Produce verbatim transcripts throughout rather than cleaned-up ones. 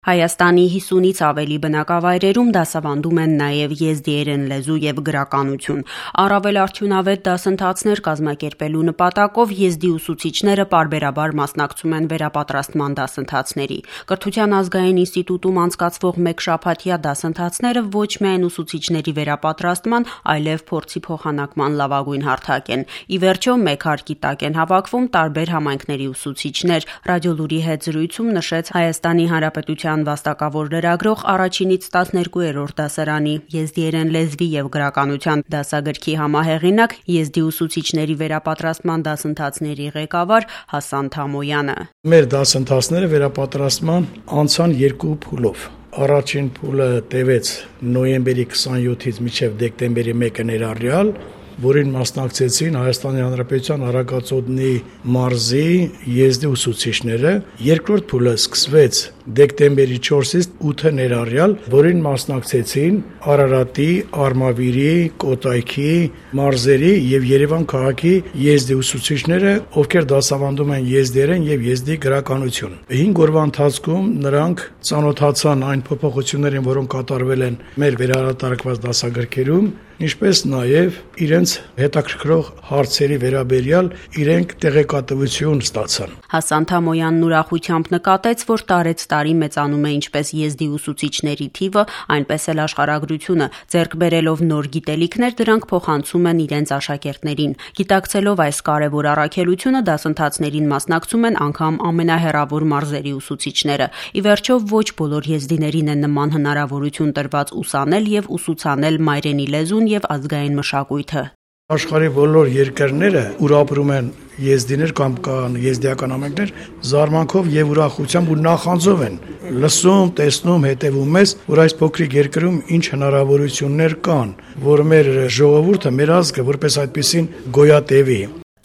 Հայաստանի հիսունից ավելի բնակավայրերում դասավանդում են նաև եզդիերեն լեզու և գրականություն։ Առավել արդյունավետ դասընթացներ կազմակերպելու նպատակով եզդի ուսուցիչները պարբերաբար մասնակցում են վերապատրաստման դասընթացների։ Կրթության ազգային ինստիտուտում անցկացվող մեկշաբաթյա դասընթացները ոչ միայն ուսուցիչների վերապատրաստման, այլև փորձի փոխանակման լավագույն հարթակ են։ Ի վերջո, մեկ հարկի տակ են հավաքվում տարբեր համայնքների ուսուցիչներ։ Ռադիոլուրի հետ զրույցում նշեց Հայաստանի Հանրապետության վաստակավոր լրագրող առաջինից տասներկուերորդ դասարանի եզդիերեն լեզվի և գրականության դասագրքի համահեղինակ, եզդի ուսուցիչների վերապատրաստման դասընթացների ղեկավար Հասան Թամոյանը։ Մեր դասընթացները վերապատրաստման անցան երկու փուլով։ Առաջին փուլը տևեց նոյեմբերի քսանյոթից մինչև դեկտեմբերի մեկը ներառյալ, որին մասնակցեցին Հայաստանի Հանրապետության Արագածոտնի մարզի եզդի ուսուցիչները։ Երկրորդ փուլը սկսվեց դեկտեմբերի չորսից ութը ներառյալ, որին մասնակցեցին Արարատի, Արմավիրի, Կոտայքի մարզերի եւ Երևան քաղաքի եզդի ուսուցիչները, ովքեր դասավանդում են եզդիերեն եւ եզդի գրականություն։ հինգ օրվա ընթացքում նրանք ծանոթացան այն փոփոխություններին, որոնք կատարվել են մեր վերահրատարակված դասագրքերում, ինչպես նաև իրենց հետաքրքրող հարցերի վերաբերյալ իրենք տեղեկատվություն ստացան։ Հասան Թամոյանն ուրախությամբ նկատեց, որ տարեց տարի մեծանում է ինչպես եզդի ուսուցիչների թիվը, այնպես էլ աշխարհագրությունը, ձեռք բերելով նոր գիտելիքներ, դրանք փոխանցում են իրենց աշակերտներին։ Գիտակցելով այս կարևոր առաքելությունը, դասընթացներին մասնակցում են անգամ ամենահեռավոր մարզերի ուսուցիչները։ Ի վերջո, ոչ բոլոր եզդիներին է նման հնարավորություն տրված ուսանել եւ ուսուցանել մայրենի լեզուն և ազգային մշակույթը։ Աշխարհի բոլոր երկրները, ուր ապրում են եզդիներ կամ կան եզդիական համայնքներ, զարմանքով եւ ուրախությամբ ու նախանձով են լսում, տեսնում, հետևում ես, որ այս փոքրիկ երկրում ինչ հնարավորություններ կան, որ մեր ժողովուրդը, մեր ազգը որպես այդպեսին գոյատևի։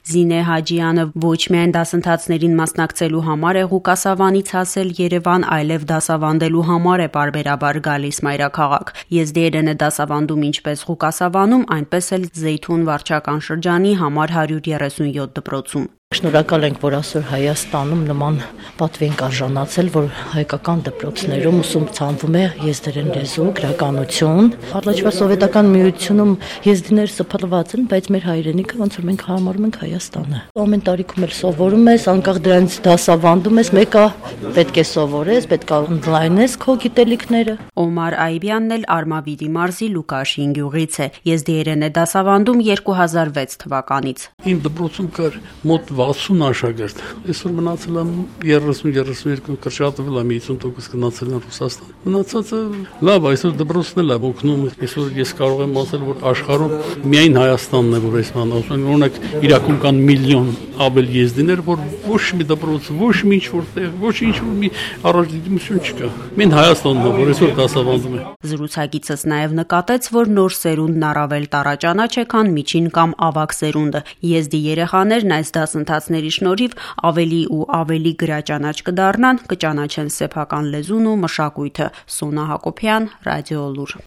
Զինե Հաջյանը ոչ միայն դասընթացներին մասնակցելու համար է Ղուկասավանից հասել Երևան, այլև դասավանդելու համար է պարբերաբար գալիս մայրաքաղաք։ Եզդիերեն է դասավանդում ինչպես Ղուկասավանում, այնպես էլ Զեյթուն վարչական շրջանի համար հարյուր երեսունյոթ դպրոցում։ Շնորհակալ ենք, որ այսօր Հայաստանում նման պատվին արժանացել, որ հայկական դպրոցներում ուսումնացվում է եզդերեն լեզու, գրականություն։ Առաջվա սովետական միությունում եզդիներ սփռված են, բայց մեր հայրենիքը ոնց որ մենք համարում ենք Հայաստանը։ Ամեն տարիքում էլ սովորում ես, անկախ դրանից դասավանդում ես, մեկը պետք է սովորես, պետք է ընդլայնես քո գիտելիքները։ Օմար Այբյանն էլ Արմավիրի մարզի Լուկաշին գյուղից է։ Եզդիերեն է դասավանդում երկու հազար վեց թվականից։ Իմ դպրոցում կար մոտ վաթսուն աշակերտ, այսօր մնացել եմ երեսուն երեսունյոթ, կրճատվել եմ հիսուն տոկոս գնացել եմ Ռուսաստան։ Մնացածը լավ, այսօր դպրոցն էլ է օգնում, այսօր ես կարող եմ ասել, որ աշխարհում միայն Հայաստանն է, որ այս բանը ասում, օրինակ Իրաքում կան միլիոն ավել եզդիներ, որ ոչ մի դպրոց, ոչ մի ինչ որտեղ, ոչ ինչ որ մի առաջադիմություն չկա։ Մեն Հայաստանն է, որ այսօր դասավանդում է։ Զրուցակիցս նաև նկատեց, որ նոր սերունդն առավել տարաճանաչ է, քան միջին կամ ավագ սերունդը։ Եզդի երեխաներն այս դասընթացների շնորհիվ ավելի ու ավելի գրաճանաչ կդառնան, կճանաչեն սեփական լեզուն ու մշակույթը։ Սոնա Հակոբյան, Ռադիոլուր։